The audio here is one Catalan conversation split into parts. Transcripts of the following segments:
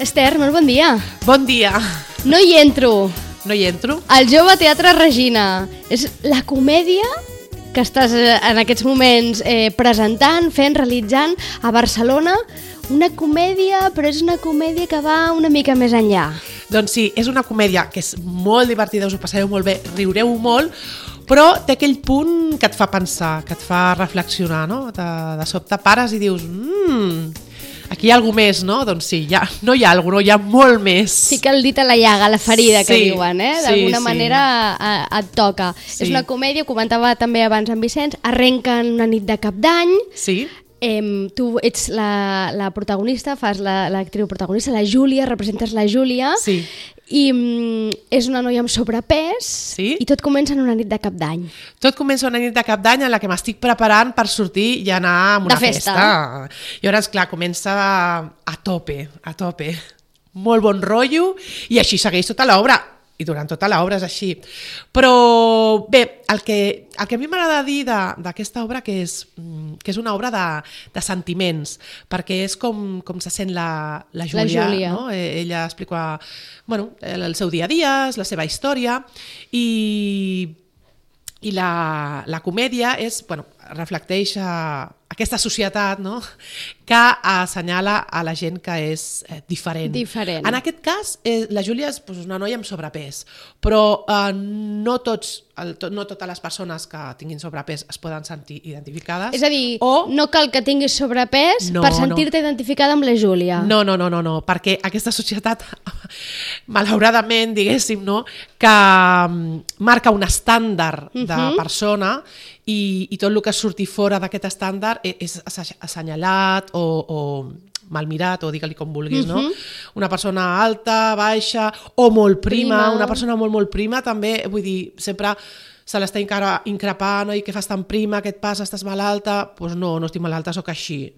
Esther, molt bon dia. Bon dia. No hi entro. No hi entro? El Jove Teatre Regina. És la comèdia que estàs en aquests moments presentant, fent, realitzant a Barcelona. Una comèdia, però és una comèdia que va una mica més enllà. Doncs sí, és una comèdia que és molt divertida, us ho passareu molt bé, riureu molt, però té aquell punt que et fa pensar, que et fa reflexionar, no? De sobte pares i dius... Aquí hi ha alguna més, no? Doncs sí, no hi ha alguna cosa, hi ha molt més. Fica el dit a la llaga, a la ferida, que diuen, eh? D'alguna manera et toca. Sí. És una comèdia, comentava també abans en Vicenç, arrenca en una nit de cap d'any. Sí. Tu ets la protagonista, fas l'actriu protagonista, la Júlia, representes la Júlia. Sí. I és una noia amb sobrepès, sí? I tot comença en una nit de cap d'any. Tot comença una nit de cap d'any en la que m'estic preparant per sortir i anar a una festa. I llavors, clar, comença a tope. Molt bon rotllo i així segueix tota l'obra. I durant tota l'obra és així. Però bé, el que a mi m'agrada dir d'aquesta obra que és una obra de sentiments, perquè és com se sent la Júlia. No? Ella explica el seu dia a dia, la seva història, i la comèdia reflecteix aquesta societat, no? Que assenyala a la gent que és diferent. En aquest cas, la Júlia és una noia amb sobrepès, però no totes les persones que tinguin sobrepès es poden sentir identificades. És a dir, no cal que tinguis sobrepès per sentir-te identificada amb la Júlia. No, perquè aquesta societat, malauradament, diguéssim, no, que marca un estàndard de persona i tot el que surti fora d'aquest estàndard és assenyalat o mal mirat, o digue-li com vulguis, no? Una persona alta, baixa o molt prima. Una persona molt prima també, vull dir, sempre se l'està increpant, i què fas tan prima, què et passa, estàs malalta? Doncs no estic malalta, sóc així.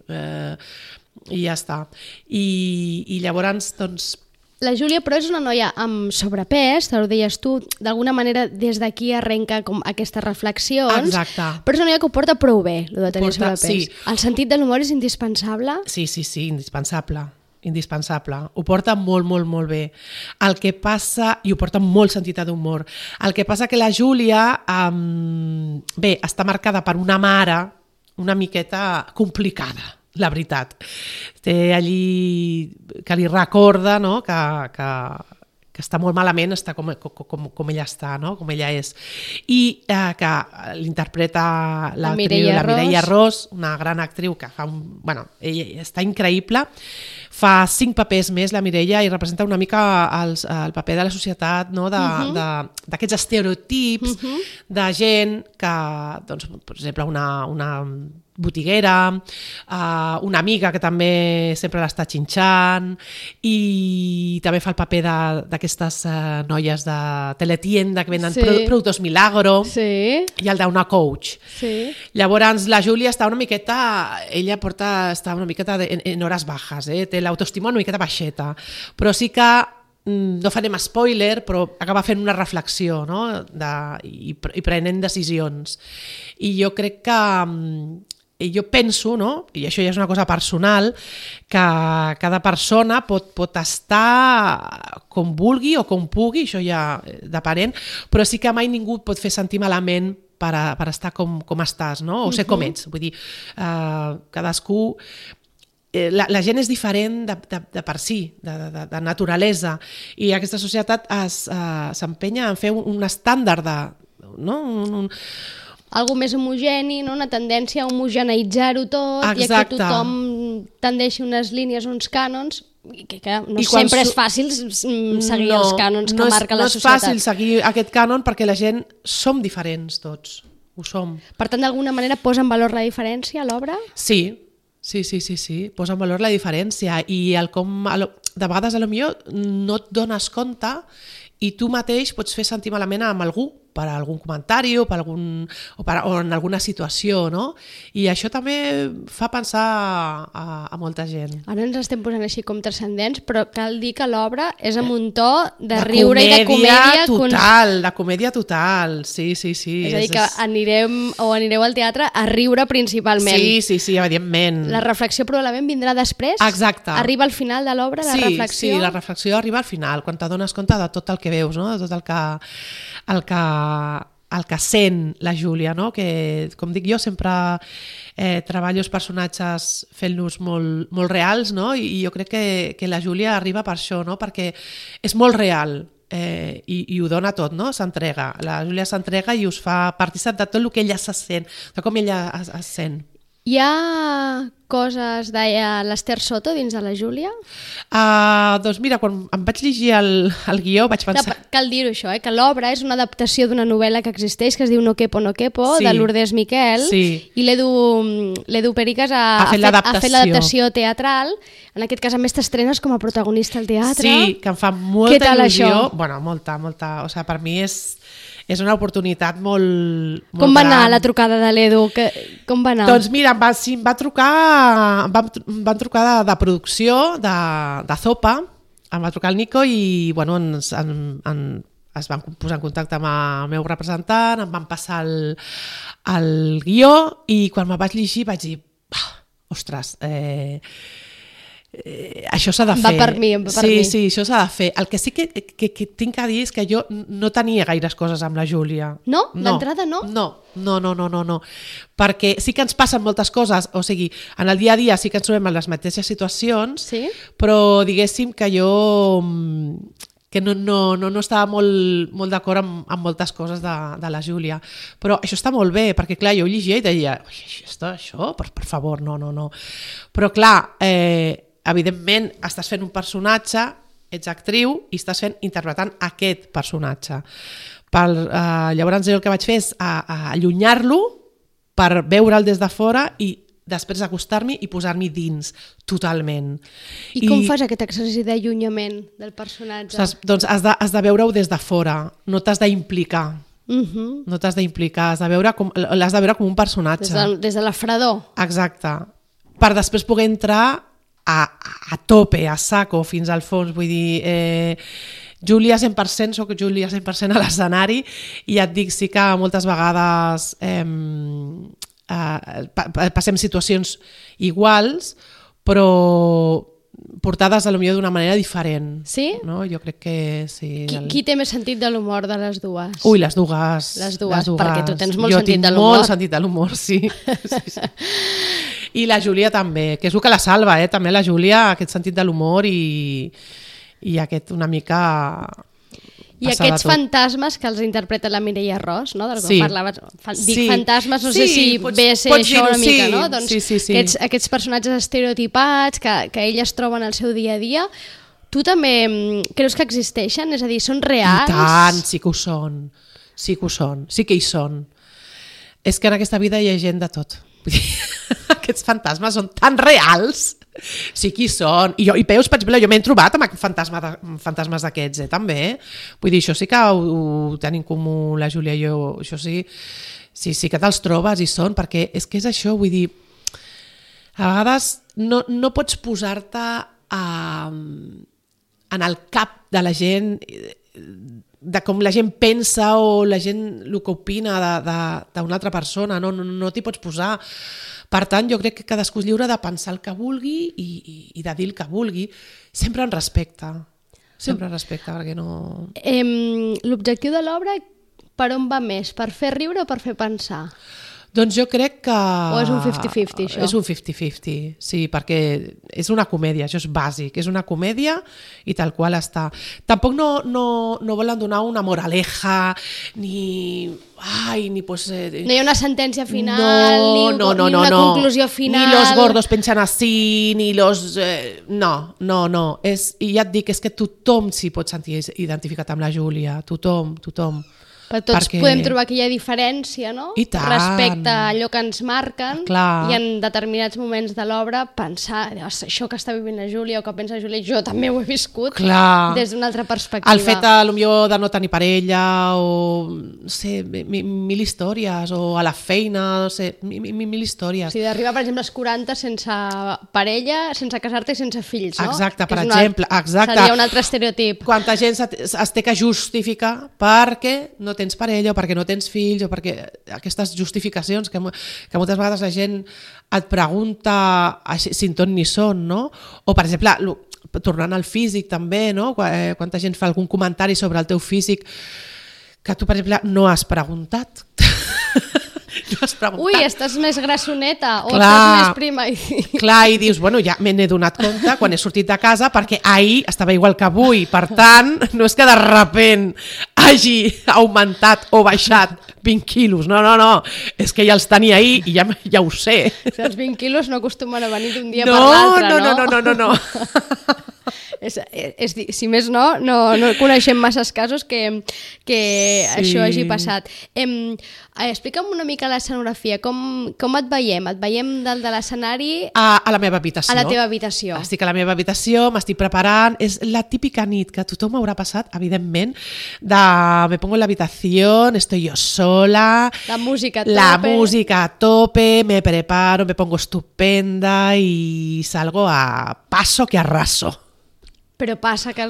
I ja està. I llavors, doncs... La Júlia, però, és una noia amb sobrepès, te ho deies tu, d'alguna manera des d'aquí arrenca com aquestes reflexions. Exacte. Però és una noia que ho porta prou bé, el de tenir sobrepès. Sí. El sentit de l'humor és indispensable? Sí, indispensable. Ho porta molt bé. El que passa, i ho porta molt sentit d'humor, el que passa que la Júlia, està marcada per una mare una miqueta complicada, la veritat. Té allí que li recorda, no? que està molt malament, està com ella està, no? Com ella és. I que l'interpreta la Mireia Ros, una gran actriu que fa ella està increïble. Fa 5 papers més, la Mireia, i representa una mica el paper de la societat, no? D'aquests estereotips de gent que, doncs, per exemple, una botiguera, una amiga que també sempre l'està xinxant, i també fa el paper d'aquestes noies de teletienda que venen productes Milagro, i el d'una coach. Llavors la Júlia està una miqueta, està una miqueta en hores bajas, té l'autoestima una miqueta baixeta, però sí que no farem spoiler, però acaba fent una reflexió, no? I prenent decisions. I jo crec que jo penso, no? I això ja és una cosa personal, que cada persona pot estar com vulgui o com pugui, això ja depenent, però sí que mai ningú et pot fer sentir malament per estar com estàs, no? O ser com ets. Vull dir, cadascú... La gent és diferent de per si, de naturalesa, i aquesta societat s'empenya en fer un estàndard algo més homogeni, una tendència a homogeneïtzar-ho tot. Exacte. I a que tothom tendeixi unes línies, uns cànons, que no sempre és fàcil seguir els cànons que marca la societat. No és fàcil seguir aquest cànon perquè la gent som diferents tots, ho som. Per tant, d'alguna manera posa en valor la diferència a l'obra? Sí, posa en valor la diferència, i de vegades potser no et dones compte i tu mateix pots fer sentir malament amb algú per algun comentari o o en alguna situació, no? I això també fa pensar a molta gent. Ara ens estem posant així com transcendents, però cal dir que l'obra és amb un to de riure i de comèdia total, de comèdia total, sí. És a dir, que anireu al teatre a riure principalment. Sí, evidentment. La reflexió probablement vindrà després? Exacte. Arriba al final de l'obra, la reflexió? Sí, la reflexió arriba al final, quan t'adones compte de tot el que veus, no? De tot el que sent la Júlia, no? Que, com dic jo, sempre treballo els personatges fent-los molt reals, no? I jo crec que la Júlia arriba per això, no? Perquè és molt real i ho dona tot, no? S'entrega. La Júlia s'entrega i us fa partícip de tot el que ella se sent, de com ella es sent. Hi ha coses de l'Ester Soto dins de la Júlia? Doncs mira, quan em vaig llegir el guió vaig pensar... Cal dir-ho això, que l'obra és una adaptació d'una novel·la que existeix, que es diu No quepo, de Lourdes Miquel, i l'Edu Pericas ha fet l'adaptació teatral. En aquest cas, a més, t'estrenes com a protagonista al teatre. Sí, que em fa molta il·lusió. Bueno, molta. O sigui, per mi és una oportunitat molt Com va anar la trucada de l'Edu? Com va anar? Doncs mira, em van trucar de producció, de Zopa, em va trucar el Nico i bueno, es van posar en contacte amb el meu representant, em van passar el guió i quan me'l vaig llegir vaig dir, ostres, això s'ha de fer. Va per mi. Sí, això s'ha de fer. El que sí que tinc a dir és que jo no tenia gaires coses amb la Júlia. No? D'entrada no? No. Perquè sí que ens passen moltes coses, o sigui, en el dia a dia sí que ens trobem en les mateixes situacions, però diguéssim que jo no estava molt d'acord amb moltes coses de la Júlia. Però això està molt bé, perquè clar, jo ho llegia i deia, això, per favor, no. Però clar, evidentment estàs fent un personatge, ets actriu i estàs interpretant aquest personatge. Llavors jo el que vaig fer és allunyar-lo per veure'l des de fora i després acostar-m'hi i posar-m'hi dins totalment. I com fas aquest exercici d'allunyament del personatge? Doncs has de veure-ho des de fora, no t'has d'implicar. No t'has d'implicar, l'has de veure com un personatge. Des de la fredor. Exacte. Per després poder entrar a tope, a saco, fins al fons. Vull dir, Júlia 100%, soc Júlia 100% a l'escenari i ja et dic, sí que moltes vegades passem situacions iguals, però portades potser d'una manera diferent. Sí? No? Jo crec que sí. Qui té més sentit de l'humor de les dues? Ui, les dues. Les dues, perquè tu tens molt sentit de l'humor. Jo tinc molt sentit de l'humor, sí. I la Júlia també, que és el que la salva, també la Júlia, aquest sentit de l'humor i aquest una mica... I aquests fantasmes que els interpreta la Mireia Ros, no? Del que parlaves. Dic fantasmes, no sé si ve a ser això una mica, no? Doncs aquests personatges estereotipats que elles troben al seu dia a dia, tu també creus que existeixen? És a dir, són reals? I tant, sí que ho són. Sí que hi són. És que en aquesta vida hi ha gent de tot. Aquests fantasmes són tan reals. Sí que hi són. I veus, per exemple, jo m'he trobat amb fantasmes d'aquests, també. Vull dir, això sí que ho tenim comú la Júlia i jo. Això sí que te'ls trobes i són, perquè és que és això, vull dir, a vegades no pots posar-te en el cap de la gent, de com la gent pensa o la gent el que opina d'una altra persona, no t'hi pots posar. Per tant, jo crec que cadascú és lliure de pensar el que vulgui i de dir el que vulgui, sempre en respecte. Sempre en respecte, perquè no... L'objectiu de l'obra, per on va més? Per fer riure o per fer pensar? Doncs jo crec que... O és un 50-50, això? És un 50-50, sí, perquè és una comèdia, això és bàsic, és una comèdia i tal qual està. Tampoc no volen donar una moraleja, ni pues... no hi ha una sentència final, ni una conclusió final... Ni los gordos pensen así, ni los... No. I ja et dic, és que tothom s'hi pot sentir identificat amb la Júlia, tothom. Però tots podem trobar que hi ha diferència, no? I tant. Respecte a allò que ens marquen. Clar. I en determinats moments de l'obra pensar, això que està vivint la Júlia o que pensa la Júlia, jo també ho he viscut. Clar. Des d'una altra perspectiva. El fet de no tenir parella o no sé, mil històries, o a la feina, no sé, mil històries. O sigui, d'arribar, per exemple, als 40 sense parella, sense casar-te i sense fills, no? Exacte, per exemple. Exacte. Seria un altre estereotip. Quanta gent es té que justificar perquè no tens parella o perquè no tens fills o perquè aquestes justificacions que moltes vegades la gent et pregunta sin ton ni son, no? O, per exemple, tornant al físic també, no? Quanta gent fa algun comentari sobre el teu físic que tu, per exemple, no has preguntat. Ui, estàs més grassoneta o estàs més prima. Clar, i dius, bueno, ja me n'he donat compte quan he sortit de casa perquè ahir estava igual que avui, per tant, no és que de repent hagi augmentat o baixat 20 quilos, no, és que ja els tenia ahir i ja ho sé. Els 20 quilos no acostumen a venir d'un dia per l'altre, no. Si més no coneixem masses casos que això hagi passat. Explica'm una mica l'escenografia, com et veiem? Et veiem dalt de l'escenari? A la meva habitació. A la teva habitació. Estic a la meva habitació, m'estic preparant, és la típica nit que a tothom haurà passat, evidentment, me pongo en la habitación, estoy yo sola, la música a tope, me preparo, me pongo estupenda y salgo a paso que arraso. Però passa que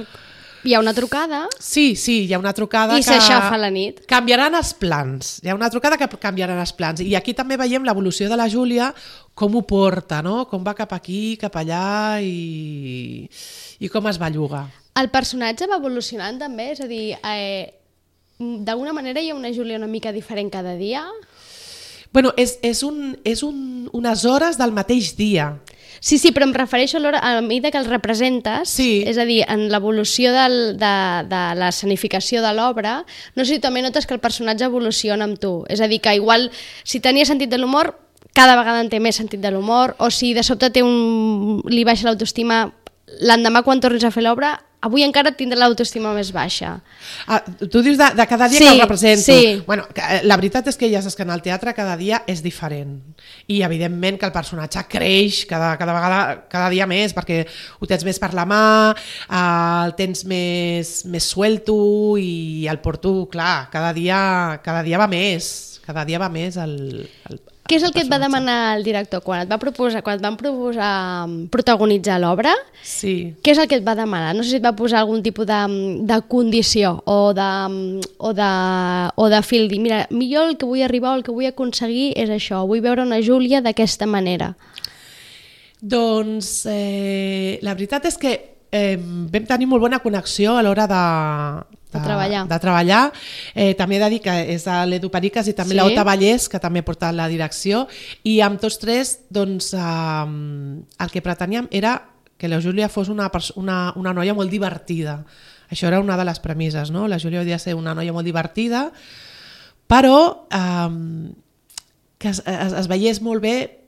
hi ha una trucada. Sí, hi ha una trucada i s'aixafa la nit. Canviaran els plans. Hi ha una trucada que canviaran els plans. I aquí també veiem l'evolució de la Júlia, com ho porta, no? Com va cap aquí, cap allà i com es belluga. El personatge va evolucionant també? És a dir, d'alguna manera hi ha una Júlia una mica diferent cada dia? Bueno, és unes hores del mateix dia. Sí, però em refereixo a la mida que el representes, és a dir, en l'evolució de l'escenificació de l'obra, no sé si també notes que el personatge evoluciona amb tu, és a dir, que igual si tenia sentit de l'humor, cada vegada en té més sentit de l'humor, o si de sobte li baixa l'autoestima, l'endemà quan tornis a fer l'obra, avui encara tindrà l'autoestima més baixa. Tu dius de cada dia que el represento. Sí. Bueno, la veritat és que ja saps que en el teatre cada dia és diferent. I evidentment que el personatge creix cada vegada, cada dia més, perquè ho tens més per la mà, el tens més suelto i el porto, clar, cada dia va més. Cada dia va més el Què és el que et va demanar el director quan et van proposar protagonitzar l'obra? Sí. Què és el que et va demanar? No sé si et va posar algun tipus de condició o de fil, dir, mira, millor el que vull arribar o el que vull aconseguir és això, vull veure una Júlia d'aquesta manera. Doncs la veritat és que vam tenir molt bona connexió a l'hora de treballar. També he de dir que és l'Edu Periques i també l'Ota Vallès, que també ha portat la direcció, i amb tots tres doncs, el que preteníem era que la Júlia fos una noia molt divertida. Això era una de les premisses, no? La Júlia hauria de ser una noia molt divertida, però que es veiés molt bé,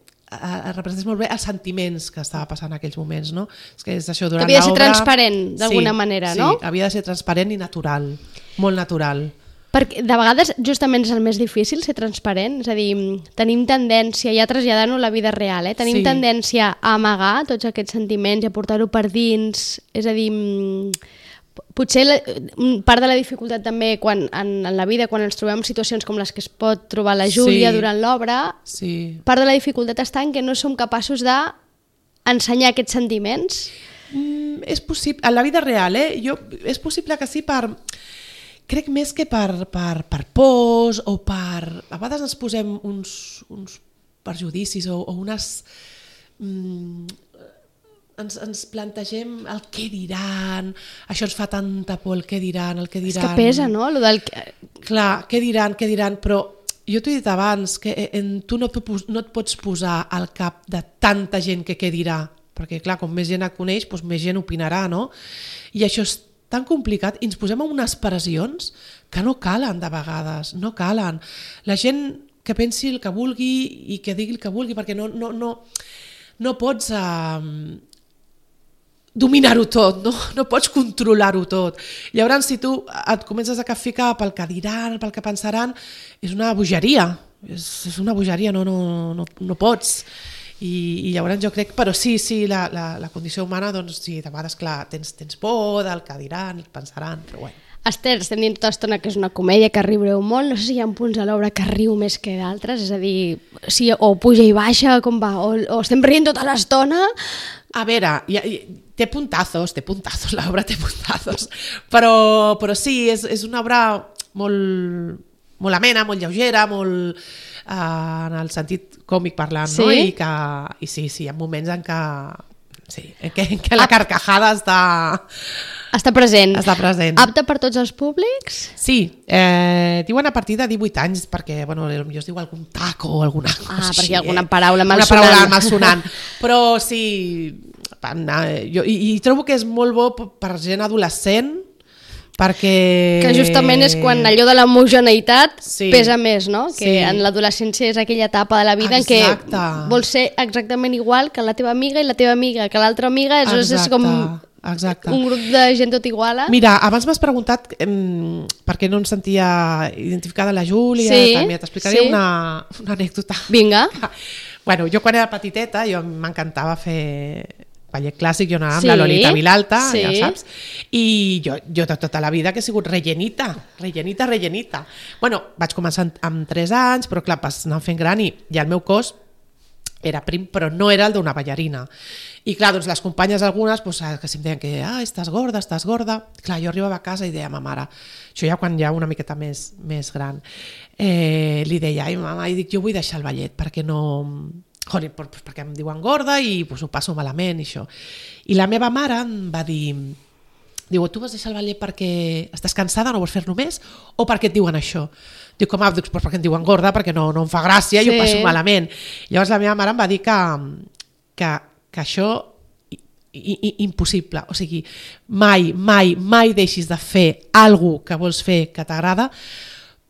representés molt bé els sentiments que estava passant en aquells moments, no? És que és això, durant l'obra... Havia de ser transparent, d'alguna manera, no? Sí, havia de ser transparent i natural, molt natural. Perquè de vegades justament és el més difícil ser transparent, és a dir, tenim tendència, ja traslladant-ho a la vida real, tenim tendència a amagar tots aquests sentiments i a portar-ho per dins, és a dir... Potser part de la dificultat també en la vida, quan ens trobem en situacions com les que es pot trobar la Júlia durant l'obra, part de la dificultat està en que no som capaços d'ensenyar aquests sentiments. És possible, en la vida real, és possible que sí, crec més que per pors o per... A vegades ens posem uns perjudicis o unes... Ens plantegem el què diran, això ens fa tanta por, el què diran. És que pesa, no? Clar, què diran, però jo t'ho he dit abans, que tu no et pots posar al cap de tanta gent que què dirà, perquè clar, com més gent et coneix, doncs més gent opinarà, no? I això és tan complicat, i ens posem en unes pressions que no calen de vegades, no calen. La gent que pensi el que vulgui i que digui el que vulgui, perquè no pots... dominar-ho tot, no pots controlar-ho tot. Llavors, si tu et comences a capficar pel que diran, pel que pensaran, és una bogeria, és una bogeria, no pots. I llavors jo crec, però sí, la condició humana, doncs sí, de vegades, clar, tens por del que diran, el que pensaran, però bueno. Esther, estem dient tota l'estona que és una comèdia, que riureu molt, no sé si hi ha punts a l'obra que riu més que d'altres, és a dir, si o puja i baixa, com va, o estem rient tota l'estona. A veure, té puntazos, l'obra té puntazos, però sí, és una obra molt amena, molt lleugera, molt en el sentit còmic parlant, sí? No? I sí, hi ha moments en què la carcajada està present. Apte per tots els públics? Sí, diuen a partir de 18 anys, perquè potser es diu algun taco o alguna cosa així. Perquè hi ha alguna paraula malsonant. Però sí, i trobo que és molt bo per gent adolescent, perquè... Que justament és quan allò de l'homogeneïtat pesa més, no? Que en l'adolescència és aquella etapa de la vida en què vols ser exactament igual que la teva amiga i la teva amiga, que l'altra amiga és com un grup de gent tot iguala. Mira, abans m'has preguntat per què no em sentia identificada la Júlia, també t'explicaré una anècdota. Vinga. Bueno, jo quan era petiteta, m'encantava fer ballet clàssic, jo anava amb la Lolita Vilalta, ja saps, i jo de tota la vida que he sigut rellenita. Bueno, vaig començar amb 3 anys, però clar, vas anar fent gran i el meu cos era prim, però no era el d'una ballarina. I clar, doncs les companyes algunes que si em deien que estàs gorda. Clar, jo arribava a casa i deia a ma mare, això ja quan ja una miqueta més gran, li deia, ai mama, i dic, jo vull deixar el ballet perquè no... perquè em diuen gorda i ho passo malament i això. I la meva mare em va dir, tu vas deixar el ballet perquè estàs cansada, no vols fer-lo més, o perquè et diuen això? Dic, perquè em diuen gorda, perquè no em fa gràcia i ho passo malament. Llavors la meva mare em va dir que això impossible, o sigui, mai deixis de fer alguna cosa que vols fer que t'agrada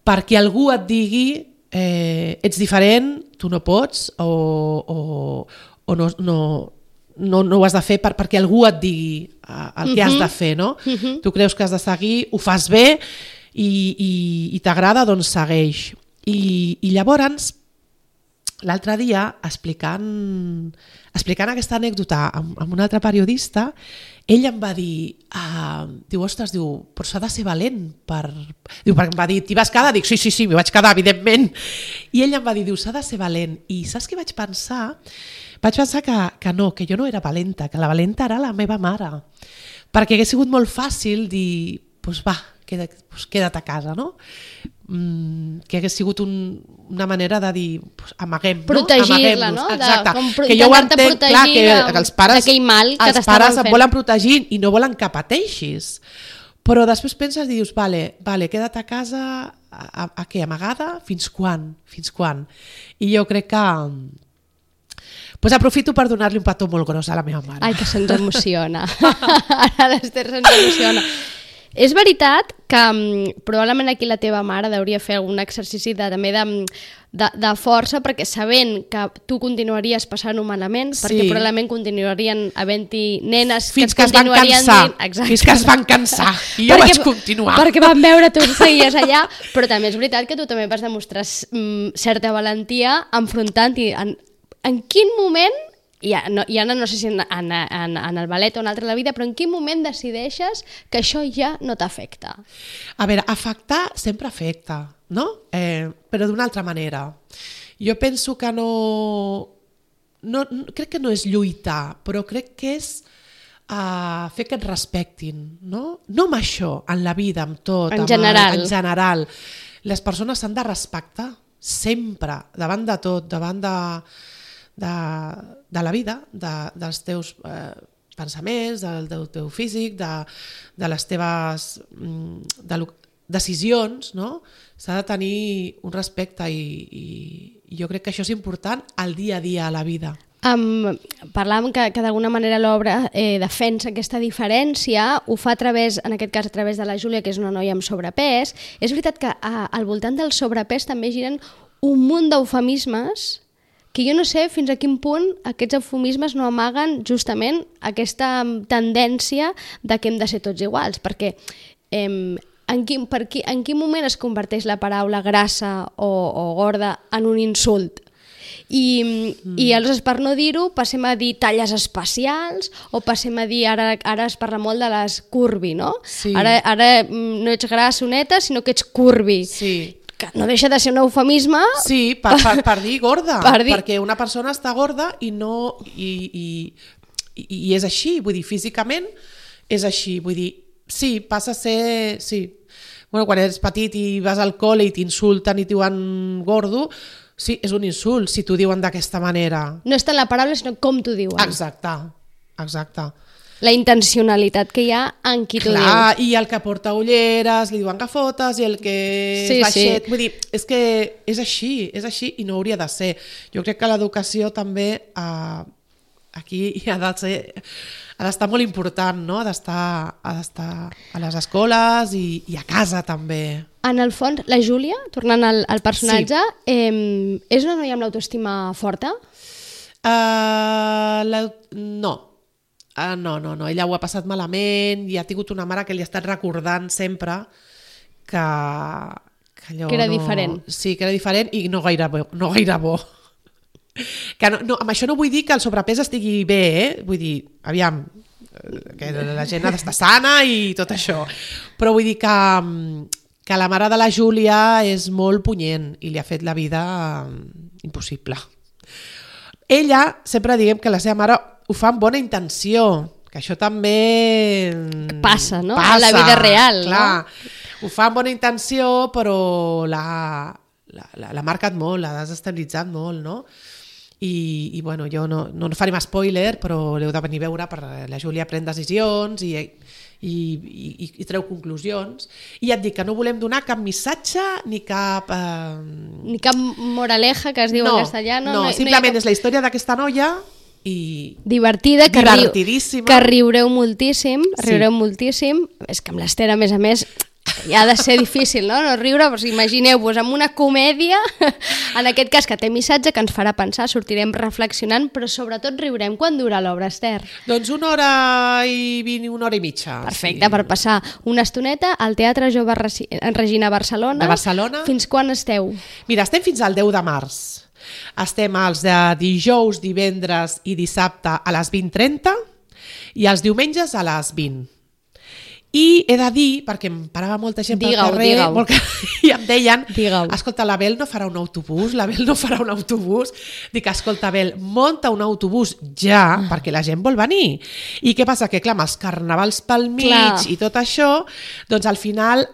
perquè algú et digui ets diferent, tu no pots o no ho has de fer perquè algú et digui el que has de fer, no? Tu creus que has de seguir, ho fas bé i t'agrada, doncs segueix. I llavors, l'altre dia, explicant aquesta anècdota amb un altre periodista, ell em va dir, ostres, però s'ha de ser valent perquè em va dir, t'hi vas quedar? Dic, sí, m'hi vaig quedar, evidentment. I ell em va dir, s'ha de ser valent. I saps què vaig pensar? Vaig pensar que no, que jo no era valenta, que la valenta era la meva mare. Perquè hagués sigut molt fàcil dir, queda't a casa, no? Que hagués sigut una manera de dir amaguem, protegir-la, no? Exacte, que jo ho entenc, clar, que els pares et volen protegir i no volen que pateixis, però després penses i dius, vale, queda't a casa a què, amagada? Fins quan? I jo crec que aprofito per donar-li un petó molt gros a la meva mare. Ai, que se'ns emociona. Ara l'Ester se'ns emociona. És veritat que probablement aquí la teva mare hauria fer algun exercici també de força, perquè sabent que tu continuaries passant-ho malament, perquè probablement continuarien havent-hi nenes que es continuarien dient... Fins que es van cansar. I jo vaig continuar. Perquè van veure tu seguies allà, però també és veritat que tu també vas demostrar certa valentia enfrontant-hi. En quin moment... I ara no sé si en el ballet o en altre la vida, però en quin moment decideixes que això ja no t'afecta? A veure, afectar sempre afecta, no? Però d'una altra manera. Jo penso que crec que no és lluitar, però crec que és fer que et respectin, no? No amb això, en la vida, amb tot. En general. En general. Les persones s'han de respectar sempre, davant de tot, davant de la vida, dels teus pensaments, del teu físic, de les teves decisions, no? S'ha de tenir un respecte i jo crec que això és important al dia a dia a la vida. Parlàvem que d'alguna manera l'obra defensa aquesta diferència, ho fa en aquest cas a través de la Júlia, que és una noia amb sobrepès. És veritat que al voltant del sobrepès també giren un munt d'eufemismes que jo no sé fins a quin punt aquests eufemismes no amaguen justament aquesta tendència de que hem de ser tots iguals, perquè en quin moment es converteix la paraula grassa o gorda en un insult? I aleshores, per no dir-ho, passem a dir talles espacials o passem a dir, ara es parla molt de les curvi, no? Sí. Ara no ets grassoneta, sinó que ets curvi. Sí. Que no deixa de ser un eufemisme. Sí, per dir gorda, perquè una persona està gorda i no... I és així, vull dir, físicament és així, vull dir, sí, passa a ser... Sí. Bueno, quan eres petit i vas al col·le i t'insulten i t'ho diuen gordo, sí, és un insult si t'ho diuen d'aquesta manera. No és tant la paraula, sinó com t'ho diuen. Exacte. La intencionalitat que hi ha en qui t'ho diu. Clar, i el que porta ulleres li diuen gafotes, i el que és baixet... Vull dir, és que és així i no hauria de ser. Jo crec que l'educació també aquí ha d'estar molt important, no? Ha d'estar a les escoles i a casa també. En el fons, la Júlia, tornant al personatge, és una noia amb l'autoestima forta? No. No. Ella ho ha passat malament i ha tingut una mare que li ha estat recordant sempre que allò que era diferent. Sí, que era diferent i no gaire bo. Que no, amb això no vull dir que el sobrepès estigui bé, vull dir, aviam, que la gent ha d'estar sana i tot això, però vull dir que la mare de la Júlia és molt punyent i li ha fet la vida impossible. Ella, sempre diguem que la seva mare ho fa amb bona intenció, que això també... Passa, no? A la vida real, clar, no? Ho fa amb bona intenció, però l'ha marcat molt, l'ha desestabilitzat molt, no? I bueno, jo no farem spoiler, però l'heu de venir a veure, perquè la Júlia pren decisions i treu conclusions. I ja et dic que no volem donar cap missatge ni cap... Ni cap moraleja, que es diu en castellà. No, simplement és la història d'aquesta noia i... Divertida, divertidíssima. Que riureu moltíssim, moltíssim. És que amb l'Ester, a més, ja ha de ser difícil, no riure, però imagineu-vos amb una comèdia, en aquest cas que té missatge, que ens farà pensar, sortirem reflexionant, però sobretot riurem. Quan dura l'obra, Ester? Doncs 1 hora i 20, 1 hora i mitja. Perfecte, per passar una estoneta al Teatre Jove Regina Barcelona. De Barcelona. Fins quan esteu? Mira, estem fins al 10 de març. Estem els de dijous, divendres i dissabte a les 20:30 i els diumenges a les 20. I he de dir, perquè em parava molta gent pel carrer i em deien, escolta, la Bel no farà un autobús, Dic, escolta, Bel, munta un autobús ja, perquè la gent vol venir. I què passa? Que clar, amb els carnavals pel mig i tot això, doncs al final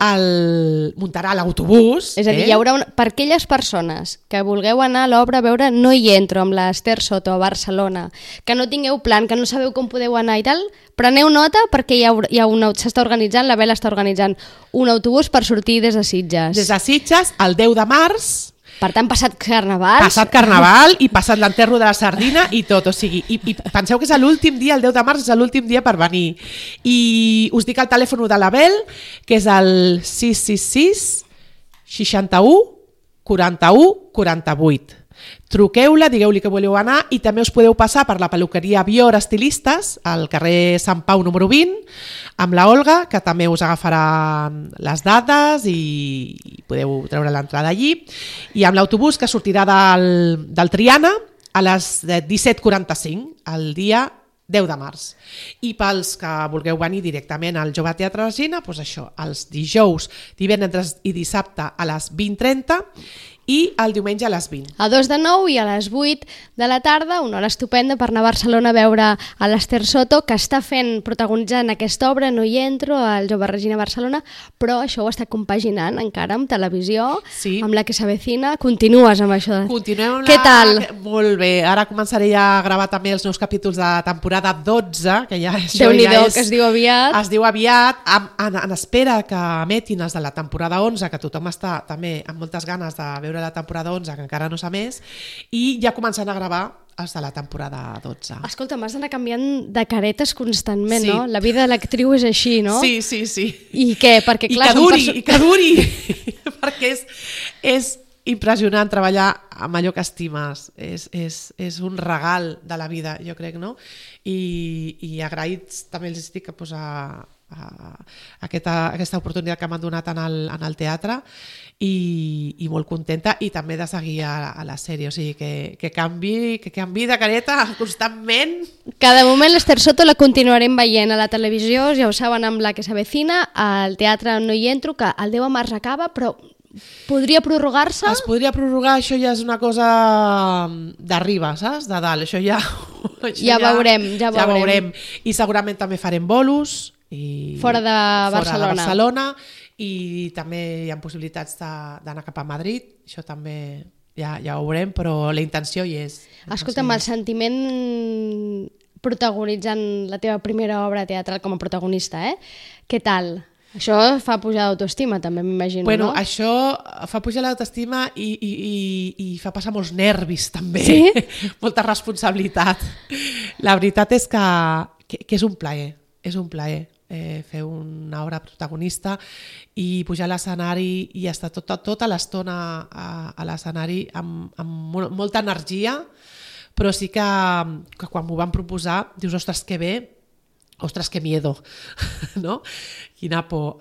muntarà l'autobús. És a dir, hi haurà per aquelles persones que vulgueu anar a l'obra a veure No hi entro amb l'Ester Soto a Barcelona, que no tingueu plan, que no sabeu com podeu anar i tal, preneu nota perquè s'està organitzant, la Bel està organitzant un autobús per sortir des de Sitges. Des de Sitges, el 10 de març. Per tant, passat carnaval. Passat carnaval i passat l'enterro de la sardina i tot, o sigui, i penseu que és l'últim dia, el 10 de març és l'últim dia per venir. I us dic el telèfon de la Bel, que és el 666 61 41 48. Truqueu-la, digueu-li que voleu anar i també us podeu passar per la peluqueria Bior Estilistes al carrer Sant Pau número 20 amb la Olga, que també us agafarà les dades i podeu treure l'entrada allí, i amb l'autobús que sortirà del Triana a les 17:45 el dia 10 de març. I pels que vulgueu venir directament al Jove Teatre Regina, doncs això, els dijous, divendres i dissabte a les 20:30 i el diumenge a les 20. A 2 de 9 i a les 8 de la tarda, una hora estupenda per anar a Barcelona a veure a l'Ester Soto, que està protagonitzant aquesta obra, No hi entro, al Jove Regina Barcelona, però això ho està compaginant encara amb televisió, amb La que s'avecina. Continues amb això? Continuem amb Què tal? Molt bé, ara començaré ja a gravar també els nous capítols de temporada 12, que ja això Déu-n'hi-do, que es diu aviat. Es diu aviat, en espera que emetin els de la temporada 11, que tothom està també amb moltes ganes de veure la temporada 11, que encara no s'ha més, i ja començant a gravar els de la temporada 12. Escolta, m'has d'anar canviant de caretes constantment, no? La vida de l'actriu és així, no? Sí. I què? Perquè, clar, I que duri, perquè és impressionant treballar amb allò que estimes. És un regal de la vida, jo crec, no? I agraïts també els estic pues, a aquesta oportunitat que m'han donat en el teatre i molt contenta, i també de seguir a la sèrie, o sigui que canvi de careta constantment. Cada moment l'Ester Soto la continuarem veient a la televisió, ja ho saben, amb La que s'avecina, al teatre no hi entro, que el 10 de març acaba, però podria prorrogar-se? Es podria prorrogar, això ja és una cosa d'arriba, saps? De dalt, això ja... Ja veurem. I segurament també farem bolos, fora de Barcelona, i també hi ha possibilitats d'anar cap a Madrid, això també ja ho veurem, però la intenció hi és. Escolta'm, el sentiment protagonitzant la teva primera obra teatral com a protagonista, què tal? Això fa pujar l'autoestima també, m'imagino, bueno, no? Això fa pujar l'autoestima i fa passar molts nervis també, sí? Molta responsabilitat. La veritat és que és un plaer fer una obra protagonista i pujar a l'escenari i estar tota l'estona a l'escenari amb molta energia, però sí que quan m'ho van proposar dius, ostres, que bé, ostres, que miedo, no? Quina por.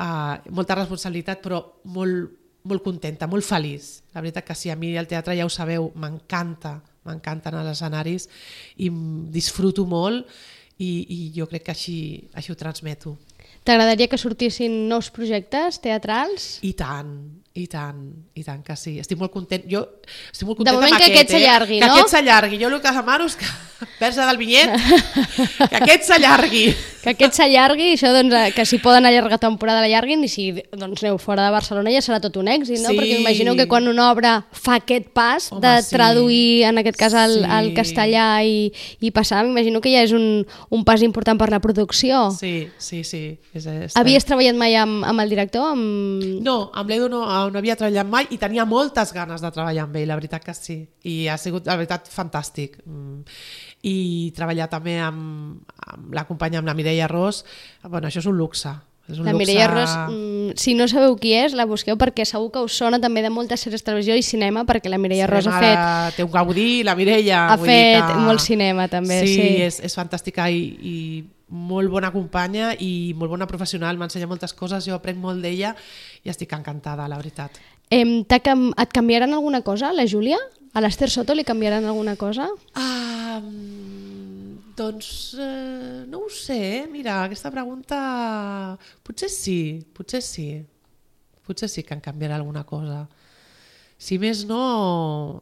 Molta responsabilitat, però molt contenta, molt feliç. La veritat que sí, a mi el teatre, ja ho sabeu, m'encanten els escenaris i disfruto molt i jo crec que així ho transmeto. T'agradaria que sortissin nous projectes teatrals? I tant que sí. Estic molt content. Jo estic molt contenta de moment que aquest s'allargui, no? Que aquest s'allargui. Jo el que demano és que, persa del vinyet, que aquest s'allargui. Que aquest s'allargui, això, doncs, que si poden allargar temporada l'allarguin, i si doncs, aneu fora de Barcelona ja serà tot un èxit, no? Sí. Perquè imagino que quan una obra fa aquest pas de traduir, en aquest cas, al castellà i passar, m'imagino que ja és un pas important per la producció. Sí. Havies treballat mai amb el director? No, amb l'Edu no havia treballat mai i tenia moltes ganes de treballar amb ell, la veritat que sí. I ha sigut, la veritat, fantàstic. I treballar també amb la companya, amb la Mireia Ros, bueno, això és un luxe. La Mireia Ros, si no sabeu qui és, la busqueu perquè segur que us sona també de moltes sèries de televisió i cinema, perquè la Mireia Ros ha fet... Té un gaudí, la Mireia. Ha fet molt cinema també, sí. Sí, és fantàstica i molt bona companya i molt bona professional, m'ensenya moltes coses, jo aprenc molt d'ella i estic encantada, la veritat. Et canviaran alguna cosa, la Júlia? A l'Ester Soto li canviaran alguna cosa? Doncs no ho sé, mira, aquesta pregunta potser sí que em canviarà alguna cosa. Si més no,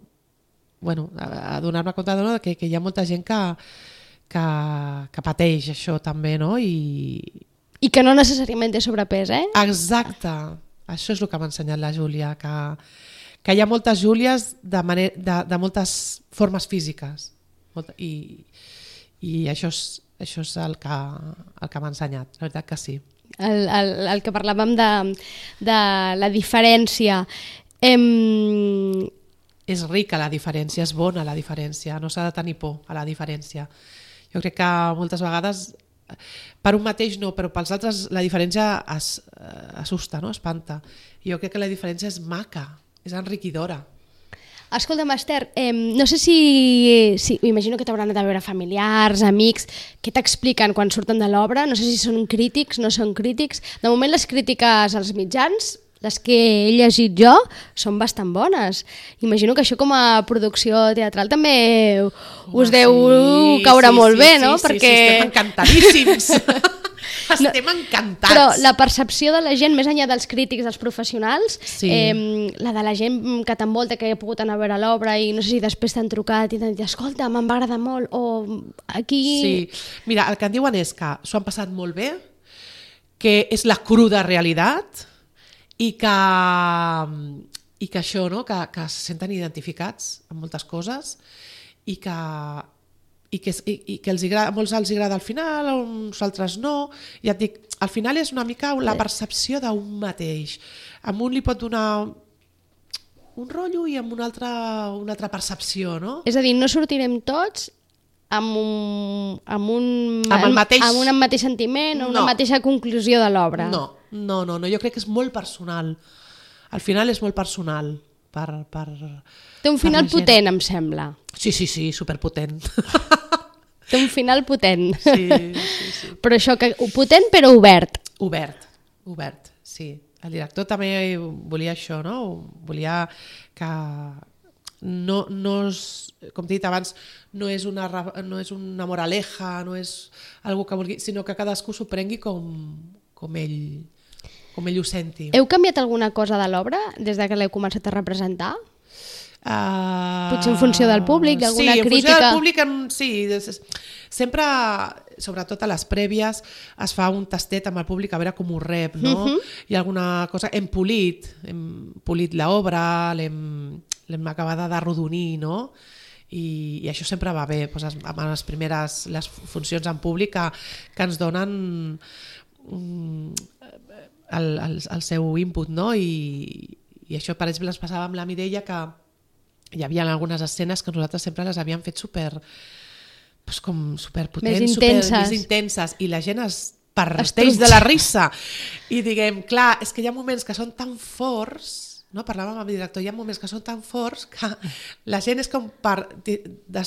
bueno, a donar-me compte que hi ha molta gent que pateix això també, no? I que no necessàriament té sobrepès, Exacte, això és el que m'ha ensenyat la Júlia, que hi ha moltes Júlies de moltes formes físiques i això és el que m'ha ensenyat, la veritat que sí. El que parlàvem de la diferència. És rica la diferència, és bona la diferència, no s'ha de tenir por a la diferència. Jo crec que moltes vegades, per un mateix no, però pels altres la diferència assusta, no? Espanta. I jo crec que la diferència és maca, és enriquidora. Escolta'm, Ester, no sé si imagino que t'hauran anat a veure familiars, amics, què t'expliquen quan surten de l'obra? No sé si són crítics, no són crítics. De moment les crítiques als mitjans, les que he llegit jo, són bastant bones. Imagino que això com a producció teatral també us deu caure molt bé, no? Sí, estem encantadíssims. Estem encantats. Però la percepció de la gent, més enllà dels crítics, dels professionals, la de la gent que t'envolta, que ha pogut anar a veure l'obra i no sé si després t'han trucat i t'han dit, escolta, m'en va agradar molt, o aquí... Sí, mira, el que em diuen és que s'ho han passat molt bé, que és la cruda realitat i que això, no? que se senten identificats amb moltes coses i que a molts els agrada al final, a uns altres no. Ja et dic, al final és una mica la percepció d'un mateix. A un li pot donar un rotllo i amb una altra percepció, no? És a dir, no sortirem tots amb un mateix sentiment o una mateixa conclusió de l'obra. No, jo crec que és molt personal. Al final és molt personal Té un final la gent. potent, em sembla. Sí, superpotent. Té un final potent. Sí. Però això, potent però obert. Obert, sí. El director també volia això, no? Volia que no és, com t'he dit abans, no és una moraleja, no és algo que vulgui, sinó que cadascú s'ho prengui com ell ho senti. Heu canviat alguna cosa de l'obra des de que l'heu començat a representar? Potser en funció del públic, d'alguna crítica? Sí, en funció del públic, sí. Sempre, sobretot a les prèvies, es fa un tastet amb el públic a veure com ho rep, no? Hi ha alguna cosa... Hem polit l'obra, l'hem acabada d'arrodonir, no? I això sempre va bé, doncs, amb les funcions en públic que ens donen el seu input, no? I això, per exemple, ens passava amb la Mireia, que hi havia algunes escenes que nosaltres sempre les havíem fet superpotents, més intenses, i la gent es parteix de la risa. I diguem, clar, és que hi ha moments que són tan forts, no? Parlàvem amb el director, hi ha moments que són tan forts que la gent és com per...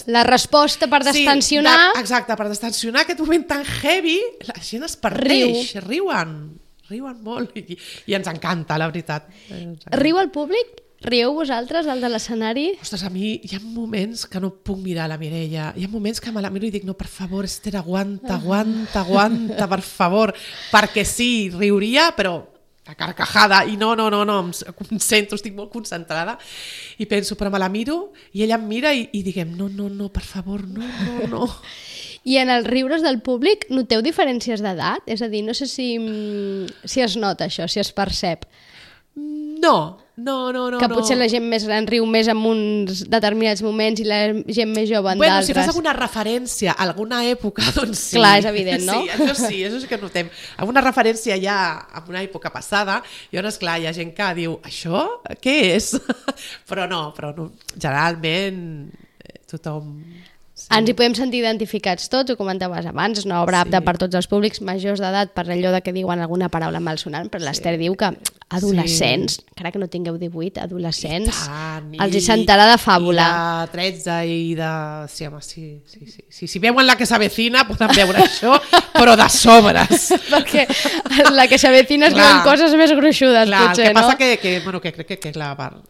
La resposta per destensionar... Sí, exacte, per destensionar aquest moment tan heavy, la gent es parteix, riuen molt i ens encanta, la veritat. Riu el públic? Rieu vosaltres, el de l'escenari? Ostres, a mi hi ha moments que no puc mirar la Mireia. Hi ha moments que me la miro i dic, no, per favor, Esther, aguanta, per favor. Perquè sí, riuria, però a carcajada. I no, em concentro, estic molt concentrada. I penso, però me la miro, i ella em mira i diguem, no, per favor, no. I en els riures del públic noteu diferències d'edat? És a dir, no sé si es nota això, si es percep. No. Que potser la gent més gran riu més en uns determinats moments i la gent més jove en d'altres. Si fas alguna referència a alguna època, doncs sí. Clar, és evident, no? Sí, això sí que notem. Alguna referència ja a una època passada, i llavors, clar, hi ha gent que diu, això què és? Però no, generalment tothom... Sí. Ens hi podem sentir identificats tots, ho comentaves abans, és una obra apta per tots els públics, majors d'edat, per allò de que diuen alguna paraula malsonant, però l'Esther diu que adolescents, encara que no tingueu 18, adolescents, els hi sentarà de fàbula. I de 13 i de... Sí, home, sí. Si veuen La que s'avecina poden veure això, però de sobres. Perquè La que s'avecina es diuen coses més gruixudes, potser, no? El que passa que crec que la part...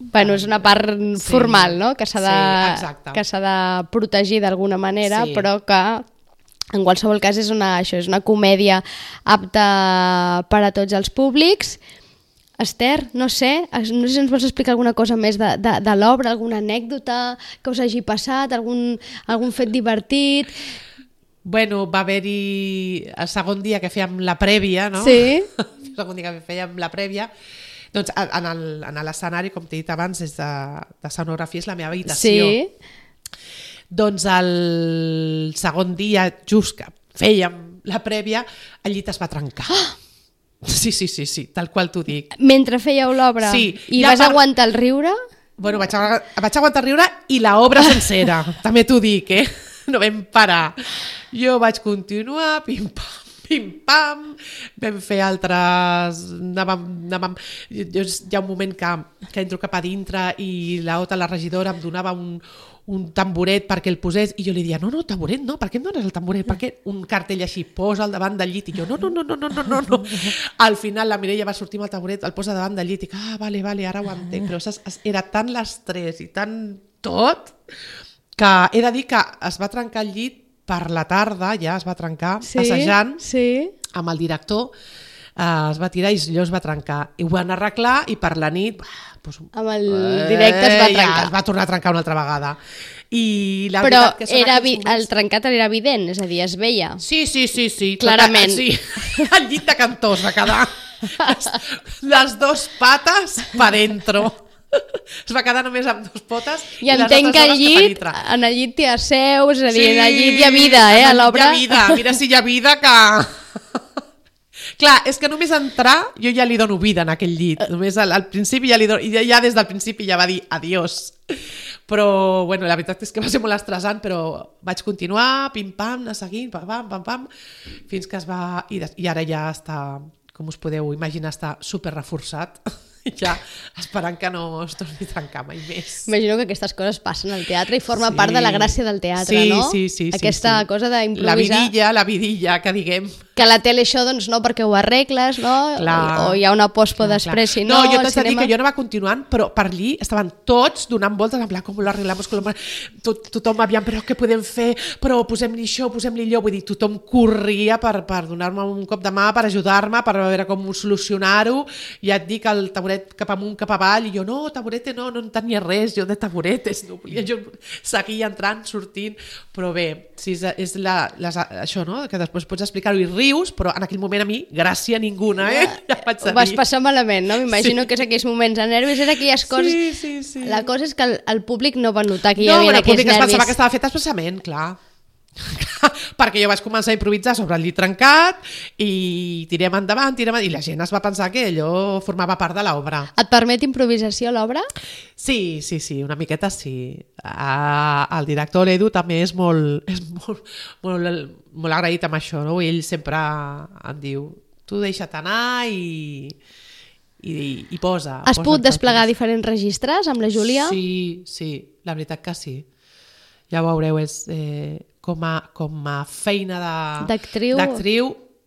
Bueno, és una part formal, no? Que s'ha de protegir d'alguna manera, però que en qualsevol cas és una comèdia apta per a tots els públics. Esther, no sé si ens vols explicar alguna cosa més de l'obra, alguna anècdota que us hagi passat, algun fet divertit... Bueno, va haver-hi el segon dia que fèiem la prèvia, no? Sí. El segon dia que fèiem la prèvia... Doncs en l'escenari, com t'he dit abans, és de sonografia, és la meva habitació. Sí. Doncs el segon dia, just que fèiem la prèvia, el llit es va trencar. Sí, tal qual t'ho dic. Mentre fèieu l'obra? Sí. I vas aguantar el riure? Bueno, vaig aguantar el riure i l'obra sencera, també t'ho dic, no vam parar. Jo vaig continuar, pim-pam, pim-pam, vam fer altres... Hi ha un moment que entro cap a dintre i la regidora em donava un tamboret perquè el posés i jo li dia, no, tamboret no, per què em dones el tamboret? Per què un cartell així, posa al davant del llit? I jo, no. Al final la Mireia va sortir amb el tamboret, el posa davant del llit i dic, vale, ara ho entenc, però era tant l'estrès i tant tot que he de dir que es va trencar el llit per la tarda, ja es va trencar, assajant, amb el director, es va tirar i allò es va trencar. I ho van arreglar i per la nit... amb el directe es va trencar. Ja, es va tornar a trencar una altra vegada. Però el trencat era evident, és a dir, es veia. Sí. Clarament. Sí. El llit de cantó es va quedar. Les dos pates pa dentro. Es va quedar només amb dos potes i entenc que en el llit hi ha seus, és a dir, en el llit hi ha vida, a l'obra. Hi ha vida, mira si hi ha vida que... Clar, és que només entrar jo ja li dono vida en aquell llit, només al principi ja li dono, i ja des del principi ja va dir adiós. Però, bueno, la veritat és que va ser molt estressant, però vaig continuar, pim-pam, anar seguint, pam-pam, fins que es va... I ara ja està, com us podeu imaginar, està super reforçat. ja esperant que no es torni a trencar mai més. Imagino que aquestes coses passen al teatre i forma part de la gràcia del teatre, no? Sí. Aquesta cosa d'improvisar. La vidilla, que diguem. Que la tele això, doncs no, perquè ho arregles, no? Clar. O hi ha una pospo després, si no... No, jo t'haig de dir que jo anava continuant, però per allí estaven tots donant voltes, en plan, com lo arreglamos, tothom aviam, però què podem fer? Però posem-li això, posem-li allò, vull dir, tothom corria per donar-me un cop de mà, per ajudar-me, per veure com solucionar-ho. Ja et dic, el taburet cap amunt, cap avall, i jo, no, taburete no en tenia res, jo de taburetes, no volia, jo seguia entrant, sortint, però bé, sí, és això, no?, que després pots explicar-ho i rius, però en aquell moment a mi, gràcia ninguna, ja vaig a dir. Ho vas passar malament, no? M'imagino que és aquells moments de nervis, era aquelles coses... Sí. La cosa és que el públic no va notar que hi havia aquells nervis. No, el públic es pensava que estava fet expressament, clar. Perquè jo vaig començar a improvisar sobre el llit trencat i tirem endavant, i la gent es va pensar que allò formava part de l'obra. Et permet improvisació l'obra? Sí, una miqueta sí. El director, l'Edu, també és molt agraït amb això, no? Ell sempre em diu, tu deixa't anar i posa. Has pogut desplegar diferents registres amb la Júlia? Sí, la veritat que sí. Ja ho veureu, és com a feina d'actriu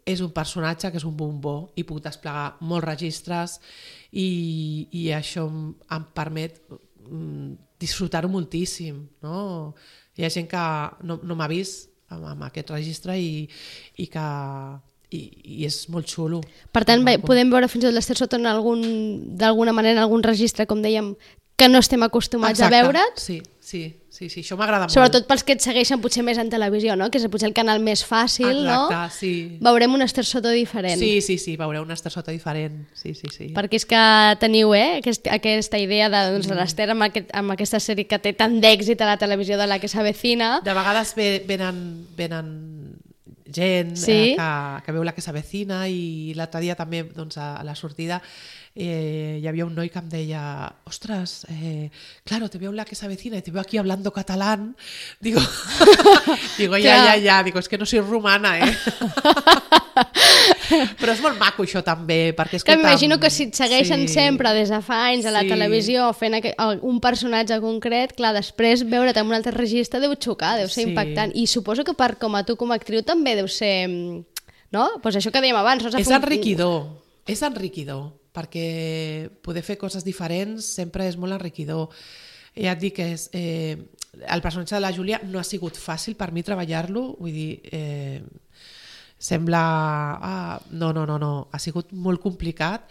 és un personatge que és un bombó i puc desplegar molts registres i això em permet disfrutar-ho moltíssim, no? Hi ha gent que no m'ha vist amb aquest registre i és molt xulo. Per tant, podem veure fins i tot l'Ester Soto d'alguna manera en algun registre, com dèiem, que no estem acostumats a veure't. Sí, això m'agrada molt. Sobretot pels que et segueixen potser més en televisió, no? Que és potser el canal més fàcil, no? Exacte, sí. Veurem un Ester Soto diferent. Sí, veureu un Ester Soto diferent, sí. Perquè és que teniu, aquesta idea de l'Ester amb aquesta sèrie que té tant d'èxit a la televisió de La que s'avecina. De vegades venen gent que veu La que s'avecina i l'altre dia també a la sortida hi havia un noi que em deia ostras, claro, te veo en La que s'avecina y te veo aquí hablando catalán. Digo, ya, digo, es que no soy rumana, Però és molt maco això també, perquè que m'imagino que si et segueixen sempre des de fa anys a la televisió fent un personatge concret, clar, després veure't en un altre registre deu xocar, deu ser impactant, i suposo que com a tu com a actriu també deu ser, no? Pues això que dèiem abans, és enriquidor, perquè poder fer coses diferents sempre és molt enriquidor. Ja et dic que el personatge de la Júlia no ha sigut fàcil per mi treballar-lo, vull dir, sembla... No, ha sigut molt complicat,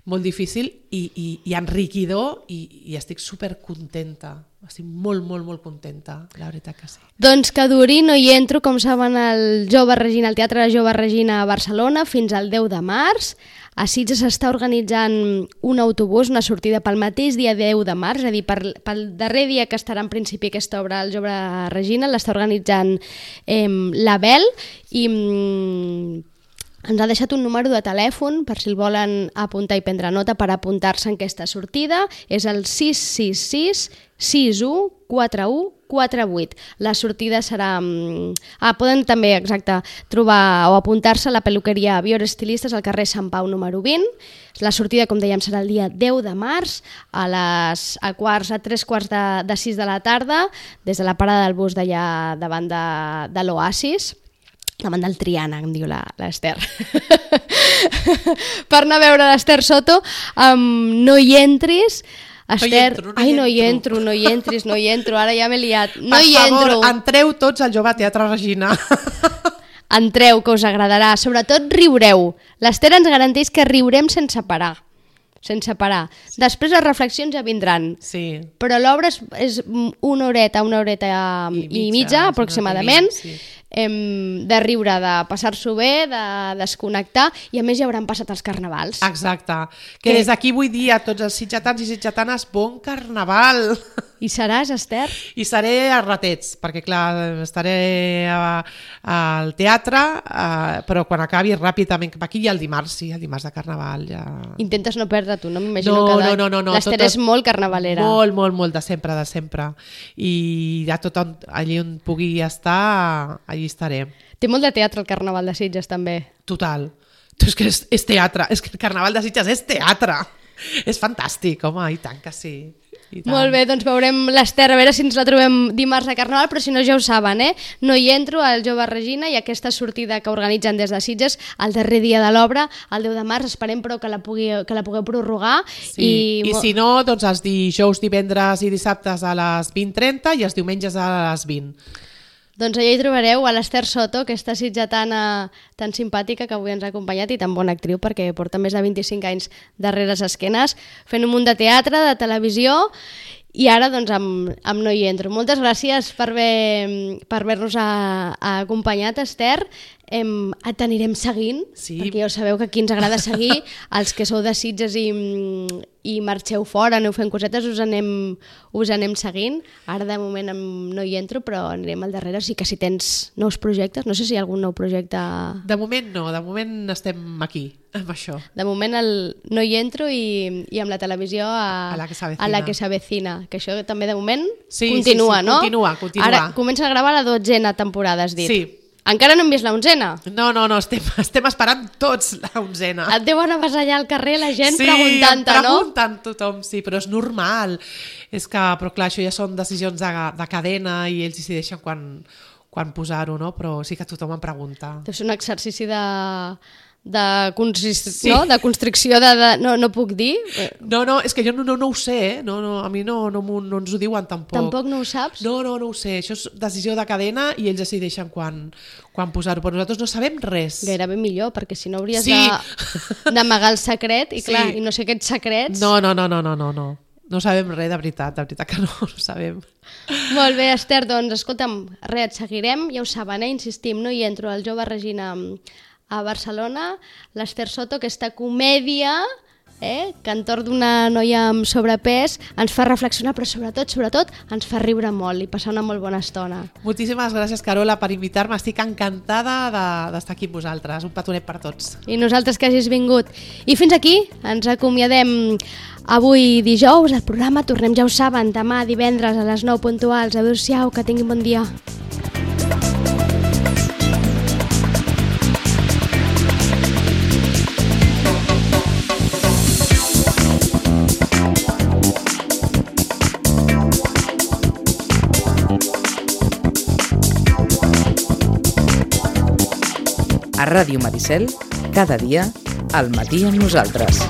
molt difícil i enriquidor i estic supercontenta. Estic molt contenta, la veritat que sí. Doncs que duri No hi entro, com saben, al Teatre de Jove Regina a Barcelona fins al 10 de març. A Sitges s'està organitzant un autobús, una sortida pel mateix dia 10 de març, és a dir, pel darrer dia que estarà en principi aquesta obra al Jove Regina, l'està organitzant l'Abel i ens ha deixat un número de telèfon per si el volen apuntar i prendre nota per apuntar-se en aquesta sortida. És el 666 61 41 48. La sortida serà... poden també, trobar o apuntar-se a la peluqueria Bior Estilistes al carrer Sant Pau número 20. La sortida, com dèiem, serà el dia 10 de març a 3:15 de 6 de la tarda des de la parada del bus d'allà davant de l'Oasis. Davant del Triana, em diu l'Ester. Per anar a veure l'Ester Soto, No hi entris... Esther, no hi entro, ara ja m'he liat. Per favor, entreu tots al Jove Teatre Regina. Entreu, que us agradarà. Sobretot riureu. L'Ester ens garanteix que riurem sense parar. Després les reflexions ja vindran. Sí. Però l'obra és una horeta i mitja aproximadament. Sí. De riure, de passar-s'ho bé, de desconnectar, i a més ja hauran passat els carnavals. Exacte. Que des d'aquí vull dir a tots els sitgetans i sitgetanes, bon carnaval! I seràs, Ester? I seré a ratets, perquè clar, estaré al teatre, però quan acabi ràpidament, aquí hi ha el dimarts de carnaval. Ja... Intentes no perdre tu, no? M'imagino que l'Ester és molt carnavalera. Molt, de sempre. I ja tot allí on pugui estar, allí estaré. Té molt de teatre el Carnaval de Sitges, també. Total. És que és teatre, és que el Carnaval de Sitges és teatre. És fantàstic, home, i tant que sí. Molt bé, doncs veurem l'Ester, a veure si ens la trobem dimarts a Carnaval, però si no ja ho saben, No hi entro, al Jove Regina, i aquesta sortida que organitzen des de Sitges el darrer dia de l'obra, el 10 de març, esperem però que la pugueu prorrogar. Sí. I si no, doncs els dijous, divendres i dissabtes a les 20:30 i els diumenges a les 20. Doncs allà hi trobareu a l'Ester Soto, aquesta sitgetana tan simpàtica que avui ens ha acompanyat i tan bona actriu perquè porta més de 25 anys darrere les esquenes, fent un munt de teatre, de televisió, i ara doncs amb No hi entro. Moltes gràcies per haver-nos acompanyat, Ester. T'anirem seguint, perquè ja ho sabeu que aquí ens agrada seguir. Els que sou de Sitges i marxeu fora, aneu fent cosetes, us anem seguint. Ara de moment no hi entro, però anirem al darrere. O sigui que si tens nous projectes, no sé si hi ha algun nou projecte... De moment no, de moment estem aquí, amb això. De moment no hi entro i amb la televisió a la que s'avecina, que això també de moment continua, no? Continua. Ara comença a gravar la 12a temporada, has dit. Sí. Encara no hem vist la 11a? No, estem esperant tots la 11a. Et deuen avasallar al carrer la gent preguntant-te, no? Sí, preguntant tothom, sí, però és normal. Però clar, això ja són decisions de cadena i ells decideixen quan posar-ho, no? Però sí que tothom em pregunta. Deu ser un exercici de constricció no puc dir. No, és que jo no ho sé, a mi no ens ho diuen tampoc. Tampoc no ho saps? No ho sé, això és decisió de cadena i ells decideixen quan posar-ho, però nosaltres no sabem res. Gairebé millor, perquè si no hauries d'amagar el secret i clar, i no sé aquests secrets... No. No sabem res, de veritat que no ho sabem. Molt bé, Ester, doncs escolta'm, et seguirem, ja ho saben, insistim, No hi entro, al Jove Regina a Barcelona, l'Ester Soto, aquesta comèdia que entorn d'una noia amb sobrepès ens fa reflexionar, però sobretot ens fa riure molt i passar una molt bona estona. Moltíssimes gràcies, Carola, per invitar-me. Estic encantada d'estar aquí amb vosaltres. Un petonet per tots. I nosaltres que hagis vingut. I fins aquí ens acomiadem avui dijous. El programa tornem, ja ho saben, demà divendres a les 9 puntuals. Adéu-siau, que tinguin bon dia. A Ràdio Maricel, cada dia, al matí amb nosaltres.